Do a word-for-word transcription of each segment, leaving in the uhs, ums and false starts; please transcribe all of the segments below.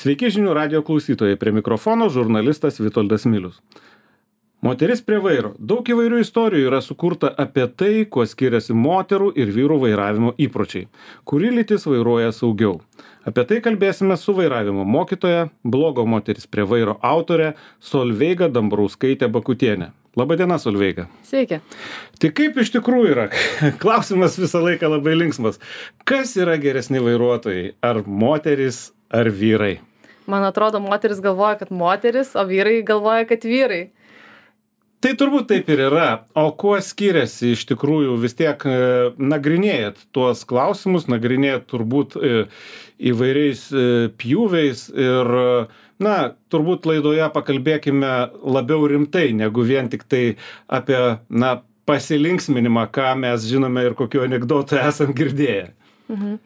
Sveiki žinių radijo klausytojai, prie mikrofono žurnalistas Vitoldas Milius. Moteris prie vairo. Daug įvairių istorijų yra sukurta apie tai, kuo skiriasi moterų ir vyrų vairavimo įpročiai, kuri lytis vairuoja saugiau. Apie tai kalbėsime su vairavimo mokytoja, blogo moteris prie vairo autorė Solveiga Dambrauskaitė Bakutienė. Labadiena, Solveiga. Sveiki. Tai kaip iš tikrųjų yra? Klausimas visą laiką labai linksmas. Kas yra geresni vairuotojai? Ar moteris, ar vyrai? Man atrodo, moteris galvoja, kad moteris, o vyrai galvoja, kad vyrai. Tai turbūt taip ir yra. O kuo skiriasi iš tikrųjų, vis tiek e, nagrinėjat tuos klausimus, nagrinėjat turbūt e, įvairiais e, pjūviais ir, na, turbūt laidoje pakalbėkime labiau rimtai, negu vien tik tai apie, na, pasilinksminimą, ką mes žinome ir kokiu anekdotu esam girdėję. Mhm.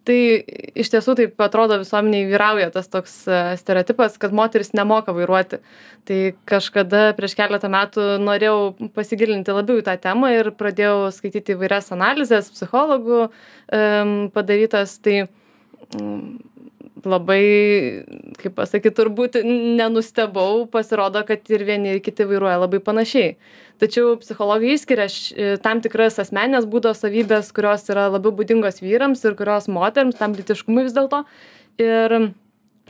Tai iš tiesų taip atrodo visuomeniai vyrauja tas toks stereotipas, kad moteris nemoka vairuoti. Tai kažkada prieš keletą metų norėjau pasigilinti labiau į tą temą ir pradėjau skaityti įvairias analizės, psichologų um, padarytas. Tai um, labai, kaip pasakyti, turbūt nenustebau, pasirodo, kad ir vieni ir kiti vairuoja labai panašiai. Tačiau psichologai išskiria tam tikras asmeninės būdo savybės, kurios yra labiau būdingos vyrams ir kurios moterims, tam lytiškumui vis dėlto. Ir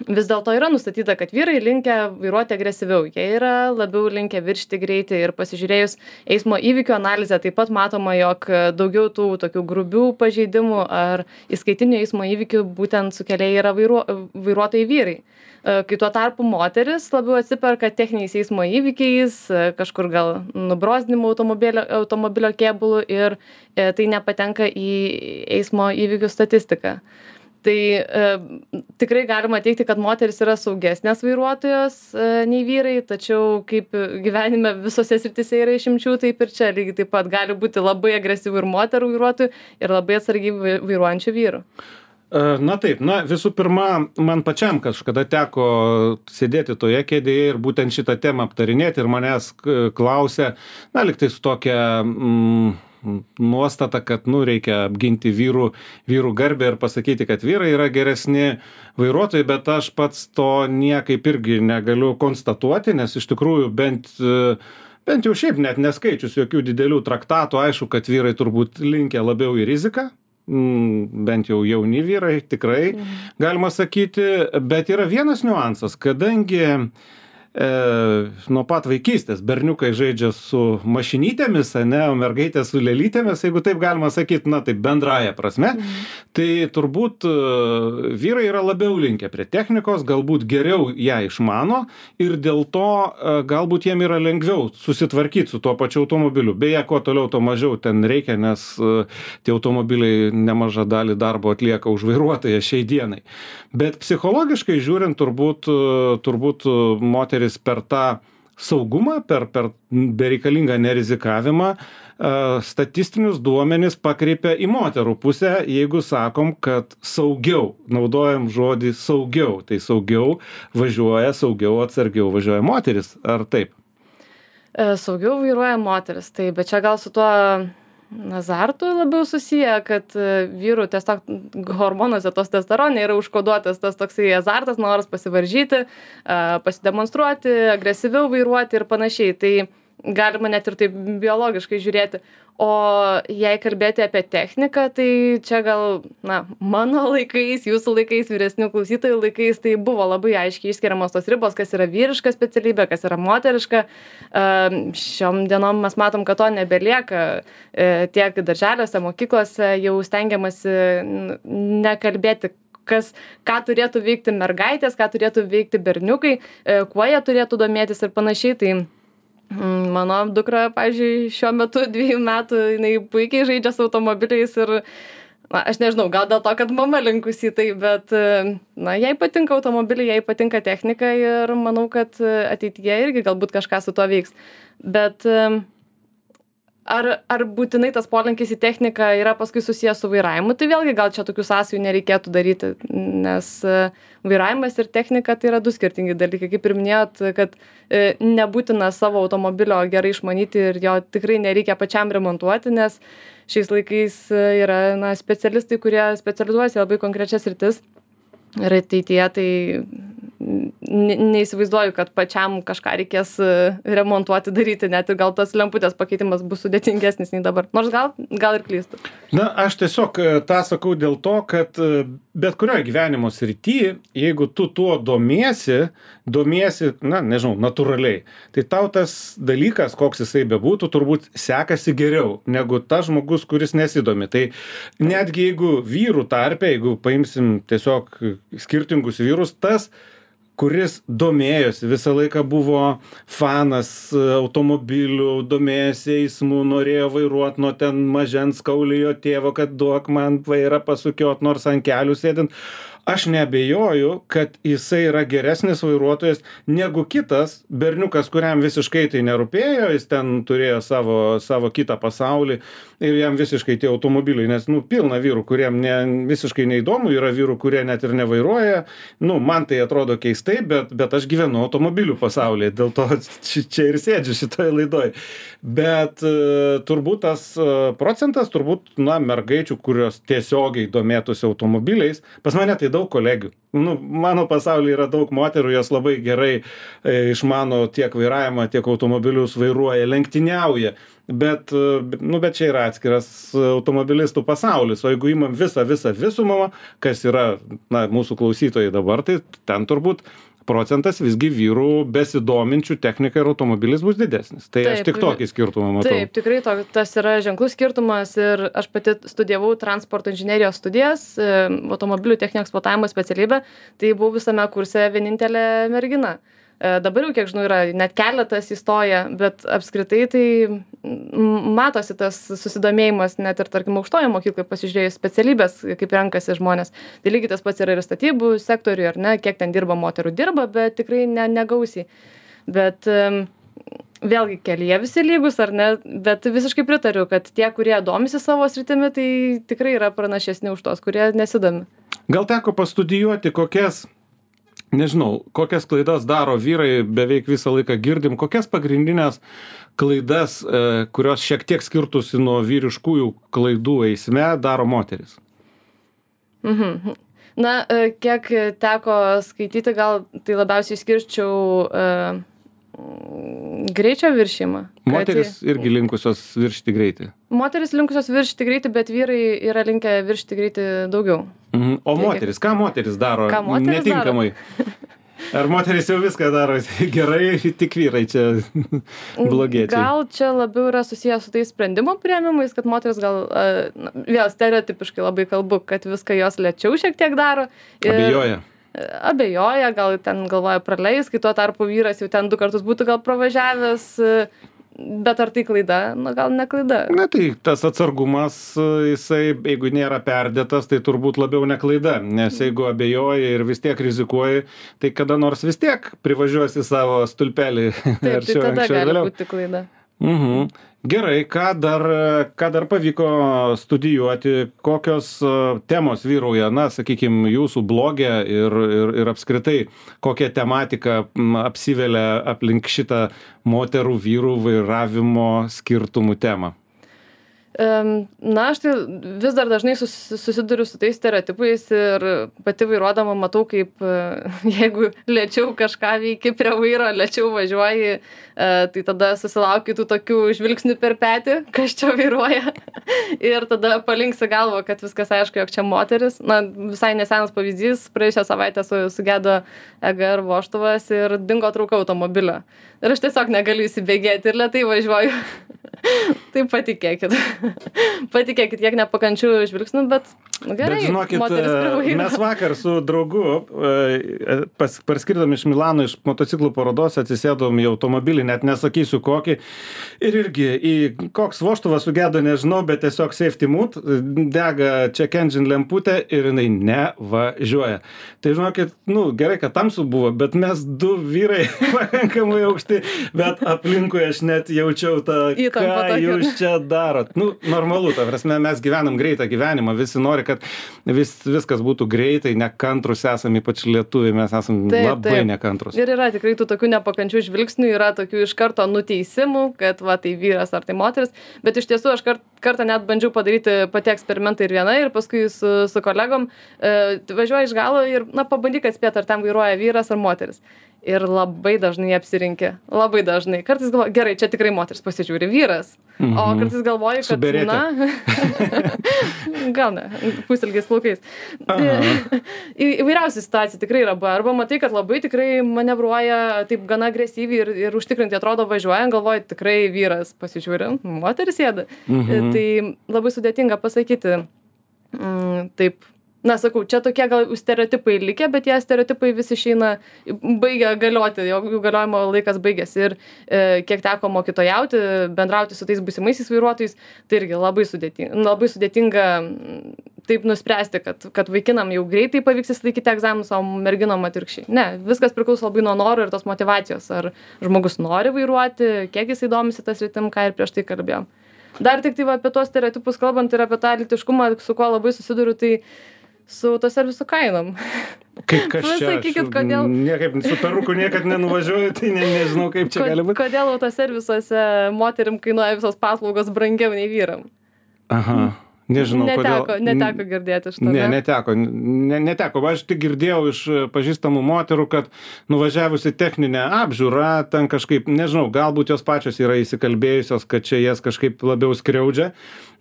vis dėlto yra nustatyta, kad vyrai linkę vairuoti agresyviau. Jie yra labiau linkę viršyti greitį ir pasižiūrėjus eismo įvykių analizę, taip pat matoma, jog daugiau tų tokių grubių pažeidimų ar įskaitinių eismo įvykių būtent sukėlėjai yra vairuo, vairuotojai vyrai. Kai tuo tarpu moteris labiau atsiperka techniniais eismo įvykiais, kažkur gal nubrozdinimu automobilio, automobilio kėbulu ir tai nepatenka į eismo įvykių statistiką. Tai e, tikrai galima teikti, kad moteris yra saugesnės vairuotojos e, nei vyrai, tačiau kaip gyvenime visose srityse yra išimčių, taip ir čia lygiai taip pat gali būti labai agresyvių ir moterų vairuotojų ir labai atsargiai vairuojančių vyrų. Na taip, na visų pirma, man pačiam kažkada teko sėdėti toje kėdėje ir būtent šitą temą aptarinėti ir manęs klausė, na liktai su tokia mm, nuostata, kad nu, reikia apginti vyrų, vyrų garbę ir pasakyti, kad vyrai yra geresni vairuotojai, bet aš pats to niekaip irgi negaliu konstatuoti, nes iš tikrųjų bent, bent jau šiaip net neskaičius jokių didelių traktatų, aišku, kad vyrai turbūt linkę labiau į riziką. Bent jau jauni vyrai, tikrai galima sakyti, bet yra vienas niuansas, kadangi e, nuo pat vaikystės berniukai žaidžia su mašinytėmis, ne, o mergaitės su lėlytėmis, jeigu taip galima sakyti, na taip bendraja prasme, mm. tai turbūt e, vyrai yra labiau linkę prie technikos, galbūt geriau ją išmano ir dėl to e, galbūt jiem yra lengviau susitvarkyti su tuo pačiu automobiliu. Beje, kuo toliau, to mažiau ten reikia, nes e, tie automobiliai nemažą dalį darbo atlieka už vairuotoją šiai dienai. Bet psichologiškai žiūrint, turbūt, turbūt moteris per tą saugumą, per, per bereikalingą nerizikavimą, statistinius duomenis pakreipia į moterų pusę, jeigu sakom, kad saugiau, naudojam žodį saugiau, tai saugiau važiuoja, saugiau atsargiau važiuoja moteris, ar taip? Saugiau vairuoja moteris, tai bet čia gal su tuo azartu labiau susiję, kad vyrų tiesiog hormonuose tos testosterone yra užkoduotas tas toksai azartas, noras pasivaržyti, pasidemonstruoti, agresyviau vairuoti ir panašiai. Tai galima net ir taip biologiškai žiūrėti. O jei kalbėti apie techniką, tai čia gal, na, mano laikais, jūsų laikais, vyresnių klausytojų laikais, tai buvo labai aiškiai išskiriamos tos ribos, kas yra vyriška specialybė, kas yra moteriška. Šiom dienom mes matom, kad to nebelieka. Tiek darželiuose, mokyklose jau stengiamasi nekalbėti, kas, ką turėtų veikti mergaitės, ką turėtų veikti berniukai, kuo jie turėtų domėtis ir panašiai. Tai mano dukra, pavyzdžiui, šiuo metu dviejų metų, jinai puikiai žaidžia su automobiliais ir, na, aš nežinau, gal dėl to, kad mama linkusi į tai, bet, na, jai patinka automobiliai, jai patinka technika ir manau, kad ateityje irgi galbūt kažką su to veiks. Bet ar, ar būtinai tas polinkis į techniką yra paskui susijęs su vairavimu, tai vėlgi gal čia tokių sąsajų nereikėtų daryti, nes vairavimas ir technika tai yra du skirtingi dalykai. Kaip ir minėjot, kad nebūtina savo automobilio gerai išmanyti ir jo tikrai nereikia pačiam remontuoti, nes šiais laikais yra, na, specialistai, kurie specializuojasi labai konkrečias sritis. Ir ateityje tai ne neįsivaizduoju, kad pačiam kažką reikės remontuoti, daryti, net ir gal tas lemputės pakeitimas bus sudėtingesnis nei dabar. Nors gal, gal ir klystu. Na, aš tiesiog tą sakau dėl to, kad bet kurioje gyvenimo srityje, jeigu tu tuo domiesi, domiesi, na, nežinau, natūraliai, tai tau tas dalykas, koks jisai bebūtų, turbūt sekasi geriau negu tas žmogus, kuris nesidomi. Tai netgi jeigu vyrų tarpe, jeigu paimsim tiesiog skirtingus vyrus, tas kuris domėjosi, visą laiką buvo fanas automobilių, domėjosi eismu, norėjo vairuot nuo ten mažens kaulijo tėvo, kad duok man vairą pasukiot, nors ant kelių sėdint. Aš neabejoju, kad jisai yra geresnis vairuotojas negu kitas berniukas, kuriam visiškai tai nerūpėjo, jis ten turėjo savo, savo kitą pasaulį ir jam visiškai tie automobiliai, nes, nu, pilna vyrų, kuriem ne, visiškai neįdomu, yra vyrų, kurie net ir nevairuoja, nu, man tai atrodo keistai, bet, bet aš gyvenu automobilių pasaulyje, dėl to čia ir sėdžiu šitoje laidoje. Bet uh, turbūt tas uh, procentas, turbūt, na, mergaičių, kurios tiesiogiai domėtųsi automobiliais, pas mane tai daug kolegių. Nu, mano pasaulyje yra daug moterų, jos labai gerai e, išmano tiek vairavimą, tiek automobilius vairuoja, lenktyniauja. Bet, nu, bet čia yra atskiras automobilistų pasaulis. O jeigu imam visą, visą visumą, kas yra, na, mūsų klausytojai dabar, tai ten turbūt procentas visgi vyrų besidominčių technika ir automobilis bus didesnis. Tai taip, aš tik tokį skirtumą matau. Taip, tikrai to, tas yra ženklus skirtumas ir aš pati studijavau transporto inžinerijos studijas, automobilių techninio eksploatavimo specialybę, tai buvau visame kurse vienintelė mergina. Dabar jau, kiek žinau, yra net keletas įstoja, bet apskritai tai matosi tas susidomėjimas net ir, tarkim, aukštojo mokykloje pasižiūrėjus specialybės, kaip renkasi žmonės. Tai lygiai tas pats yra ir statybų sektoriuje, ar ne, kiek ten dirba moterų dirba, bet tikrai ne, negausiai. Bet vėlgi kelyje visi lygus, ar ne, bet visiškai pritariu, kad tie, kurie domisi savo sritimi, tai tikrai yra pranašesni už tos, kurie nesidomi. Gal teko pastudijuoti kokias Nežinau, kokias klaidas daro vyrai, beveik visą laiką girdim, kokias pagrindinės klaidas, kurios šiek tiek skirtusi nuo vyriškųjų klaidų eisme, daro moteris? Mhm. Na, kiek teko skaityti, gal tai labiausiai išskirčiau uh, greičio viršimą. Moteris kad... irgi linkusios viršyti greitį. Moteris linkusios viršyti greitį, bet vyrai yra linkę viršyti greitį daugiau. Mhm. O moteris, ką moteris daro ką moteris netinkamai? Daro? Ar moteris jau viską daro gerai, tik vyrai čia blogiečiai? Gal čia labiau yra susijęs su tais sprendimo priėmimais, kad moteris gal, na, vėl stereotipiškai labai kalbu, kad viską jos lėčiau šiek tiek daro. Ir abejoja. Abejoja, gal ten galvoja praleis, kai tuo tarpu vyras jau ten du kartus būtų gal pravažiavęs. Bet ar tai klaida? Na, gal ne klaida. Na, tai tas atsargumas, jisai, jeigu nėra perdėtas, tai turbūt labiau ne klaida. Nes jeigu abejoji ir vis tiek rizikuoji, tai kada nors vis tiek privažiuosi savo stulpelį. Taip, tai tada gali būti klaida. Mhm. Gerai, ką dar, ką dar pavyko studijuoti, kokios temos vyrauja, na, sakykime, jūsų blogė ir, ir, ir apskritai, kokia tematika apsivelia aplink šitą moterų vyrų vairavimo skirtumų temą? Na, aš tai vis dar dažnai susiduriu su tais stereotipais ir pati vairuodama matau, kaip jeigu lėčiau kažką veiki prie vairo, lėčiau važiuoji, tai tada susilauki tų tokių žvilgsnių per petį, kas čia vairuoja. Ir tada palinksi galvą, kad viskas aišku, jog čia moteris. Na, visai nesenas pavyzdys, praėjusią savaitę su, sugedo E G R vožtuvas ir dingo trauka automobilio. Ir aš tiesiog negaliu įsibėgėti ir lėtai važiuoju. Tai patikėkit. Patikėkit, kiek nepakančių žvilgsnių, bet gerai. Bet žinokit, mes vakar su draugu pas, parskirdami iš Milano iš motociklų parodos atsisėdom į automobilį, net nesakysiu kokį. Ir irgi į koks vožtuvas sugedo, nežinau, bet tiesiog safety mood, dega check engine lemputė ir jinai nevažiuoja. Tai žinokit, nu, gerai, kad tamsu buvo, bet mes du vyrai pakankamai aukšti, bet aplinkui aš net jaučiau tą, ką jūs čia darot. Nu, normalu, ta prasme, mes gyvenam greitą gyvenimą, visi nori kad vis, viskas būtų greitai, nekantrus esame, ypač lietuviai, mes esame taip, labai taip. nekantrus. Ir yra tikrai tų tokių nepakančių žvilgsnių, yra tokių iš karto nuteisimų, kad va tai vyras ar tai moteris, bet iš tiesų aš kart, kartą net bandžiau padaryti pati eksperimentą ir viena, ir paskui su, su kolegom e, važiuoju iš galo ir, na, pabandyk atspėti, ar ten vairuoja vyras ar moteris. Ir labai dažnai apsirinkė. Labai dažnai. Kartais galvoju, gerai, čia tikrai moteris pasižiūri vyras. Mhm. O kartais galvoju, kad, Suberėte. na, gal ne, pusilgiais plaukais. Į, įvairiausių situacijų tikrai yra. Arba matai, kad labai tikrai manevruoja taip gana agresyviai ir, ir užtikrinti atrodo važiuojant, galvoju, tikrai vyras pasižiūri, moteris sėda. Mhm. Tai labai sudėtinga pasakyti. Mm, taip. Na, sakau, čia tokie gal stereotipai likę, bet tie stereotipai vis išeina, baigia galioti, jų galiojimo laikas baigėsi. Ir e, kiek teko mokytojauti, bendrauti su tais būsimaisiais vairuotojais, tai irgi labai sudėtinga, labai sudėtinga taip nuspręsti, kad, kad vaikinam jau greitai pavyks įsilaikyti egzaminus, o merginom atvirkščiai. Ne, viskas priklauso labai nuo noro ir tos motyvacijos. Ar žmogus nori vairuoti, kiek jisai domisi tas rytim, ką ir prieš tai kalbėjom. Dar tik tai va, apie tuos stereotipus kalbant ir apie tą lytiškumą, su kuo labai susiduriu, tai su autoservisų kainom. Kaip kas čia? Sakykit, kodėl... Niekaip su peruku niekad nenuvažiuoju, tai ne, nežinau, kaip čia gali būti. Kodėl autoservisuose moterim kainuoja visos paslaugos brangiau nei vyram? Aha. Nežinau, neteko, kodėl. Neteko girdėti iš to. Ne, neteko. Ne, neteko. Aš tik girdėjau iš pažįstamų moterų, kad nuvažiavusi techninę apžiūrą, ten kažkaip, nežinau, galbūt jos pačios yra įsikalbėjusios, kad čia jas kažkaip labiau skriaudžia,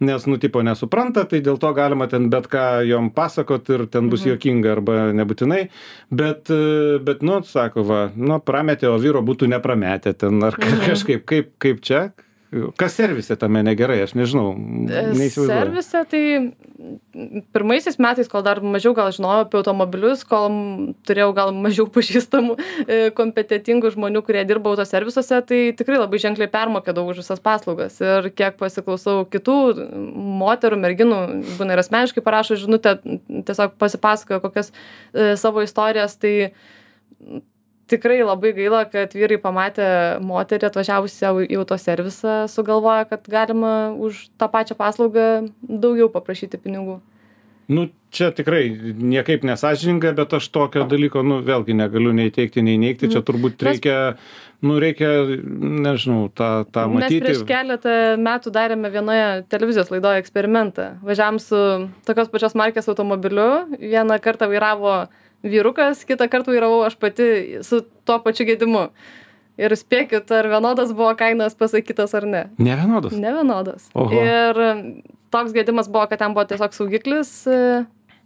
nes, nu, tipo, nesupranta, tai dėl to galima ten bet ką jom pasakot ir ten bus mhm. juokinga arba nebūtinai. Bet, bet, nu, sako, va, nu, prametė, o vyro būtų neprametę ten ar mhm. kažkaip, kaip, kaip čia. Kas servise tame negerai, aš nežinau, neįsivaizduoju. Servise tai pirmaisiais metais, kol dar mažiau gal žinojau apie automobilius, kol turėjau gal mažiau pažįstamų kompetentingų žmonių, kurie dirba autoservisuose, tai tikrai labai ženkliai permokėdavau už visas paslaugas. Ir kiek pasiklausau kitų moterų, merginų, būna ir asmeniškai parašo žinutę, tiesiog pasipasakoja kokias e, savo istorijas, tai tikrai labai gaila, kad vyrai pamatę moterį atvažiavusią į autoservisą sugalvoja, kad galima už tą pačią paslaugą daugiau paprašyti pinigų. Nu, čia tikrai niekaip nesąžininga, bet aš tokio dalyko, nu, vėlgi negaliu nei teikti, nei neigti. Čia turbūt reikia, nu, reikia, nežinau, tą, tą matyti. Mes prieš keletą metų darėme vienoje televizijos laidoje eksperimentą. Važiavom su tokios pačios markės automobiliu, vieną kartą vairavo vyrukas, kitą kartą vairavau aš pati su tuo pačiu gedimu. Ir spėkit, ar vienodas buvo kainos pasakytas ar ne. Ne vienodas? Ne vienodas. Oho. Ir toks gedimas buvo, kad ten buvo tiesiog saugiklis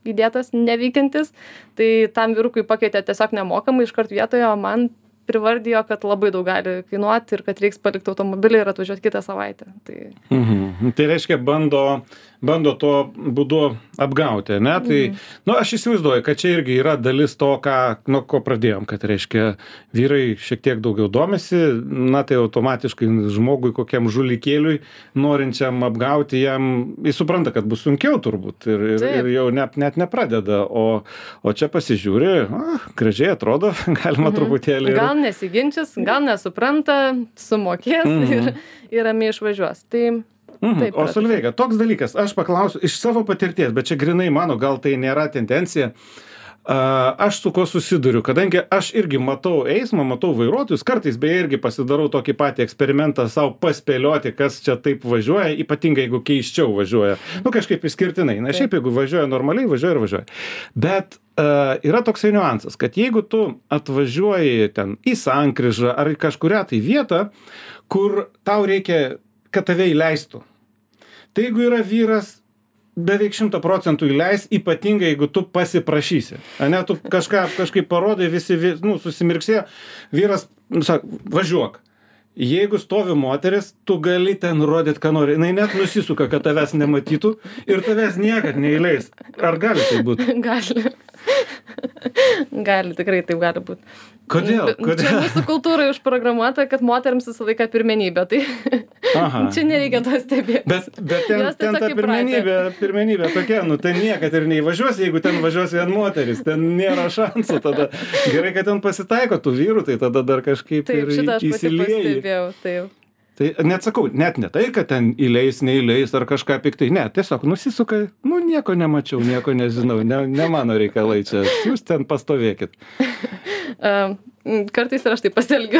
įdėtas, neveikiantis. Tai tam vyrukui pakeitė tiesiog nemokamai iškart vietoje, o man privardijo, kad labai daug gali kainuoti ir kad reiks palikti automobilį ir atvažiuoti kitą savaitę. Tai, mhm. Tai reiškia, bando, bando to būdu apgauti, ne? Tai, mhm. nu, aš įsivaizduoju, kad čia irgi yra dalis to, ką, nuo ko pradėjom, kad reiškia, vyrai šiek tiek daugiau domisi, na, tai automatiškai žmogui kokiam žulikėliui, norinčiam apgauti jam, jis supranta, kad bus sunkiau turbūt ir, ir, ir jau net, net nepradeda, o, o čia pasižiūri, a, gražiai atrodo, galima mhm. truputėlį. Gal nesiginčys, gal nesupranta, sumokės mm. ir, ir ramiai išvažiuos. Tai, mm. taip, o Solveiga, toks dalykas, aš paklausiu iš savo patirties, bet čia grinai mano, gal tai nėra tendencija. Uh, aš su ko susiduriu, kadangi aš irgi matau eismą, matau vairuotojus, kartais beje irgi pasidarau tokį patį eksperimentą savo paspėlioti, kas čia taip važiuoja, ypatingai jeigu keiščiau važiuoja. Nu, kažkaip išskirtinai. Na, šiaip jeigu važiuoja normaliai, važiuoja ir važiuoja. Bet uh, yra toksai niuansas, kad jeigu tu atvažiuoji ten į sankryžą ar į kažkurią tai vietą, kur tau reikia, kad tave įleistų. Tai jeigu yra vyras, beveik šimtą procentų įleis, ypatingai jeigu tu pasiprašysi. Ane, tu kažką, kažkaip parodai, visi, nu, susimirksėjo, vyras, nu, sak, važiuok. Jeigu stovi moteris, tu gali ten rodyti, ką nori. Jis net nusisuka, kad tavęs nematytų ir tavęs niekad neįleis. Ar gali tai būti? Gali. Gali, tikrai taip gali būti. Kodėl? Kodėl? Čia mūsų kultūrai užprogramuota, kad moteriams visą laiką pirmenybė. Tai Aha. čia nereikia to stebėti. Bet, bet ten, ten ta pirmenybė, pirmenybė tokia, nu ten niekad ir neįvažiuos, jeigu ten važiuos vien moteris, ten nėra šansų tada. Gerai, kad ten pasitaiko tų vyrų, tai tada dar kažkaip taip, ir įsilieji. Taip, taip. Tai net sakau, net ne tai, kad ten įleis, neįleis ar kažką piktai. Ne, tiesiog nusisuka, nu nieko nemačiau, nieko nežinau, ne, ne mano reikalai čia, jūs ten pastovėkit. Um, kartais ir aš taip pasielgiu.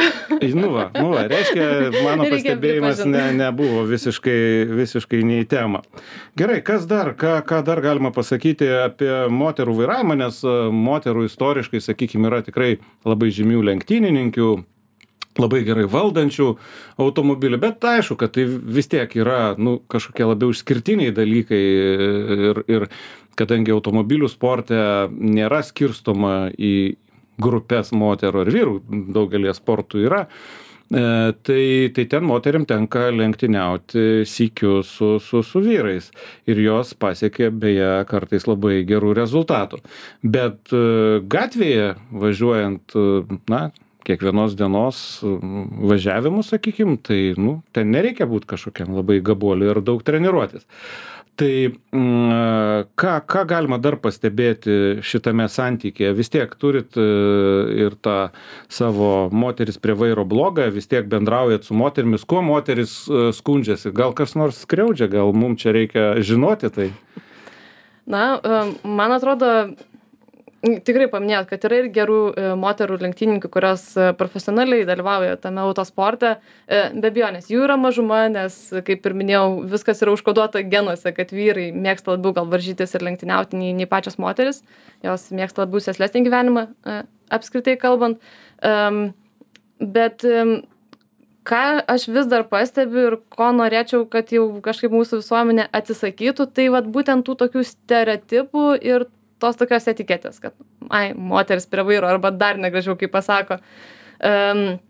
Nu va, nu va, reiškia, mano pastebėjimas ne, nebuvo visiškai, visiškai ne į temą. Gerai, kas dar, ką, ką dar galima pasakyti apie moterų vairavimą, nes moterų istoriškai, sakykime, yra tikrai labai žymių lenktynininkių, labai gerai valdančių automobilį, bet aišku, kad tai vis tiek yra nu, kažkokie labiau išskirtiniai dalykai ir, ir kadangi automobilių sporte nėra skirstoma į grupės moterų ar vyrų, daugelį sportų yra, e, tai, tai ten moteriam tenka lenktyniauti sykiu su, su, su vyrais ir jos pasiekė beje kartais labai gerų rezultatų. Bet e, gatvėje važiuojant, na, kiekvienos dienos važiavimų, sakykim, tai, nu, ten nereikia būti kažkokiam labai gabuoliu ir daug treniruotis. Tai ką, ką galima dar pastebėti šitame santykėje? Vis tiek turit ir tą savo moteris prie vairo blogą, vis tiek bendraujat su moterimis. Kuo moteris skundžiasi? Gal kas nors skriaudžia? Gal mums čia reikia žinoti tai? Na, man atrodo, tikrai paminėjot, kad yra ir gerų moterų lenktynininkių, kurios profesionaliai dalyvauja tame autosporte. Be abejonės, jų yra mažuma, nes, kaip ir minėjau, viskas yra užkoduota genuose, kad vyrai mėgsta labiau gal varžytis ir lenktyniauti nei, nei pačios moteris. Jos mėgsta labiau sėslesnį gyvenimą, apskritai kalbant. Bet ką aš vis dar pastebiu ir ko norėčiau, kad jau kažkaip mūsų visuomenė atsisakytų, tai vat būtent tų tokių stereotipų ir tos tokios etiketės, kad, ai, moteris prie vairo, arba dar negražiau, kaip pasako. Um,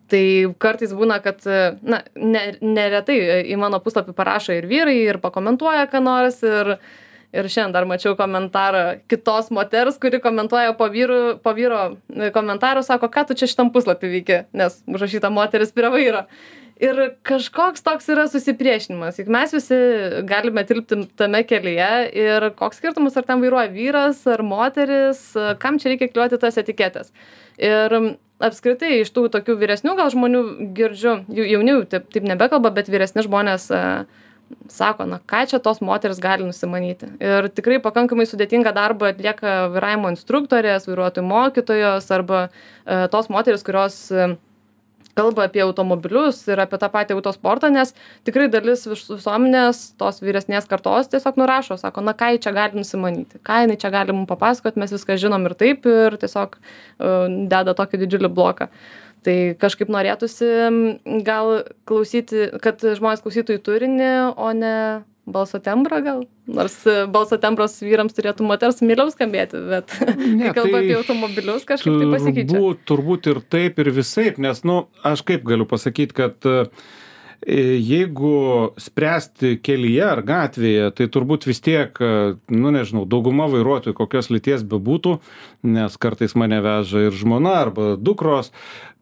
tai kartais būna, kad, na, ne, neretai į mano puslapį parašo ir vyrai, ir pakomentuoja, ką nors, ir, ir šiandien dar mačiau komentarą kitos moters, kuri komentuoja po, vyru, po vyro komentarų, sako, ką tu čia šitam puslapį veiki, nes užrašyta moteris prie vairo. Ir kažkoks toks yra susipriešinimas, juk mes visi galime tilpti tame kelyje ir koks skirtumas, ar ten vairuoja vyras ar moteris, kam čia reikia kliuoti tas etiketės. Ir apskritai iš tų tokių vyresnių gal žmonių girdžiu, jaunių taip, taip nebekalba, bet vyresni žmonės sako, na ką čia tos moteris gali nusimanyti. Ir tikrai pakankamai sudėtingą darbą atlieka vairavimo instruktorės, vairuotojų mokytojos arba tos moteris, kurios kalba apie automobilius ir apie tą patį autosportą, nes tikrai dalis visuomenės tos vyresnės kartos tiesiog nurašo, sako, na ką čia gali nusimanyti, ką jinai čia gali mums papasakoti, mes viską žinom ir taip ir tiesiog uh, deda tokį didžiulį bloką. Tai kažkaip norėtųsi gal klausyti, kad žmonės klausytų į turinį, o ne balso tembrą gal. Nors balso tembros vyrams turėtų moters mieliau skambėti, bet ne, kai kalba tai apie automobilius, kažkaip tai pasikeičia. Turbūt, turbūt ir taip, ir visaip, nes, nu, aš kaip galiu pasakyti, kad jeigu spręsti kelyje ar gatvėje, tai turbūt vis tiek, nu nežinau, dauguma vairuotojų kokios lyties bebūtų, nes kartais mane veža ir žmona arba dukros,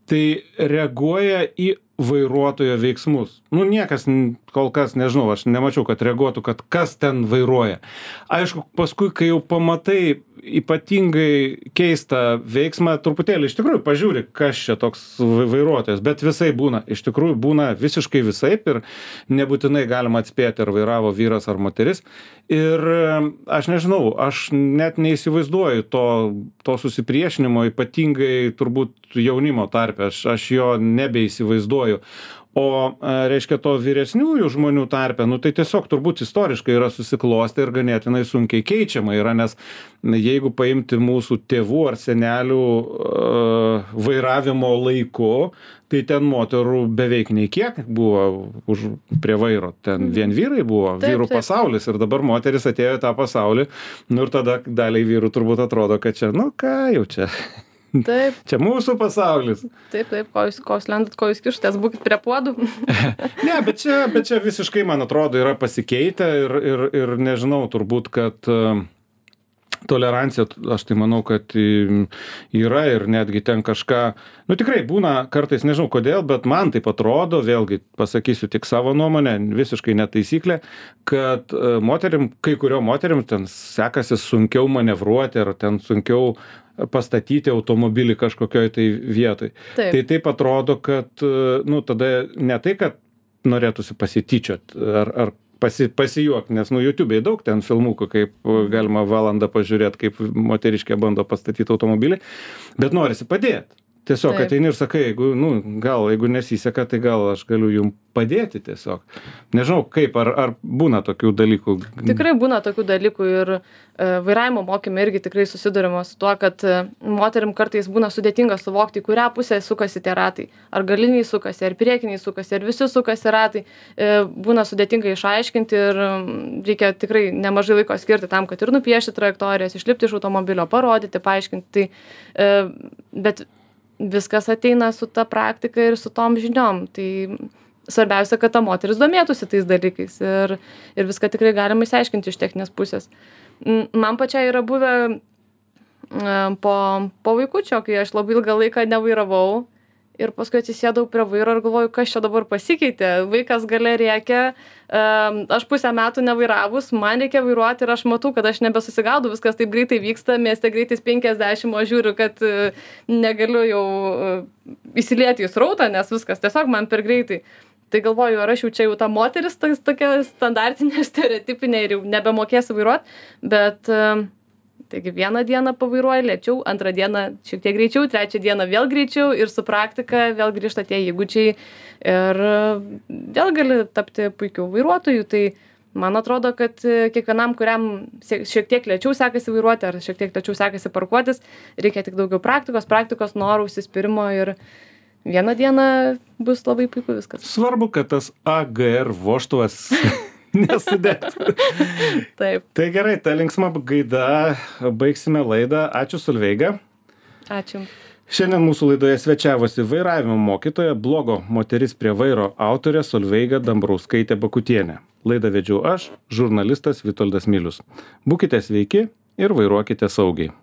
tai reaguoja į vairuotojo veiksmus. Nu, niekas kol kas, nežinau, aš nemačiau, kad reaguotų, kad kas ten vairuoja. Aišku, paskui, kai jau pamatai ypatingai keistą veiksmą, truputėlį iš tikrųjų pažiūri, kas čia toks vairuotojas, bet visai būna, iš tikrųjų būna visiškai visaip ir nebūtinai galima atspėti, ar vairavo vyras ar moteris. Ir aš nežinau, aš net neįsivaizduoju to, to susipriešinimo, ypatingai turbūt jaunimo tarpe, aš, aš jo nebeįsivaizduoju. O, reiškia, to vyresniųjų žmonių tarpe, nu tai tiesiog turbūt istoriškai yra susiklostę ir ganėtinai sunkiai keičiama yra, nes jeigu paimti mūsų tėvų ar senelių uh, vairavimo laiku, tai ten moterų beveik nei kiek buvo už, prie vairo, ten vien vyrai buvo, taip, vyrų taip. Pasaulis ir dabar moteris atėjo į tą pasaulį, nu ir tada daliai vyrų turbūt atrodo, kad čia, nu ką jau čia. Taip. Čia mūsų pasaulis. Taip, taip, ko jūs, ko jūs lendat, ko jūs kištės, būkit prie puodų. Ne, bet čia, bet čia visiškai, man atrodo, yra pasikeitę ir, ir, ir nežinau, turbūt, kad tolerancija, aš tai manau, kad yra ir netgi ten kažką, nu tikrai būna kartais, nežinau kodėl, bet man taip atrodo, vėlgi pasakysiu tik savo nuomonę, visiškai netaisyklė, kad moterim, kai kurio moterim ten sekasi sunkiau manevruoti ar ten sunkiau pastatyti automobilį kažkokioj tai vietoj. Taip. Tai taip atrodo, kad, nu tada ne tai, kad norėtųsi pasityčiot ar, ar pasi, pasijuok, nes nu YouTube'ai daug ten filmukų, kaip galima valandą pažiūrėti, kaip moteriškė bando pastatyti automobilį, bet norisi padėti. Tiesiog Taip. ateini ir sakai, jeigu, nu, gal, jeigu nesiseka, tai gal aš galiu jums padėti tiesiog. Nežinau, kaip, ar, ar būna tokių dalykų? Tikrai būna tokių dalykų ir e, vairavimo mokyme irgi tikrai susidurima su tuo, kad e, moterim kartais būna sudėtinga suvokti, į kurią pusę sukasi tie ratai. Ar galiniai sukasi, ar priekiniai sukasi, ar visi sukasi ratai. E, būna sudėtinga išaiškinti ir reikia tikrai nemažai laiko skirti tam, kad ir nupiešti trajektorijas, išlipti iš automobilio, parodyti, paaiškinti. Tai, e, bet viskas ateina su ta praktika ir su tom žiniom. Tai svarbiausia, kad ta moteris domėtųsi tais dalykais ir, ir viską tikrai galima išsiaiškinti iš techninės pusės. Man pačiai yra buvę po, po vaikučio, kai aš labai ilgą laiką nevairavau ir paskui atsisėdau prie vairo ir galvoju, kas čia dabar pasikeitė. Vaikas gale rėkia, aš pusę metų nevairavus, man reikia vairuoti ir aš matau, kad aš nebesusigaudau, viskas taip greitai vyksta, mieste greitais penkiasdešimt, o žiūriu, kad negaliu jau įsilieti į srautą, nes viskas tiesiog man per greitai. Tai galvoju, ar aš jau čia jau ta moteris tokia standartinė, stereotipinė ir jau nebemokėsiu vairuoti, bet taigi vieną dieną pavairuoju lėčiau, antrą dieną šiek tiek greičiau, trečią dieną vėl greičiau ir su praktika vėl grįžta tie įgūdžiai ir vėl gali tapti puikiu vairuotoju. Tai man atrodo, kad kiekvienam, kuriam šiek tiek lėčiau sekasi vairuoti ar šiek tiek lėčiau sekasi parkuotis, reikia tik daugiau praktikos, praktikos norų, užsispyrimo ir vieną dieną bus labai puiku viskas. Svarbu, kad tas A G R vožtuvas nesudėtų. Taip. Tai gerai, ta linksma gaida, baigsime laidą. Ačiū, Solveiga. Ačiū. Šiandien mūsų laidoje svečiavosi vairavimo mokytoja, blogo moteris prie vairo autorė Solveiga Dambrauskaitė Bakutienė. Laidą vedžiau aš, žurnalistas Vitoldas Milius. Būkite sveiki ir vairuokite saugiai.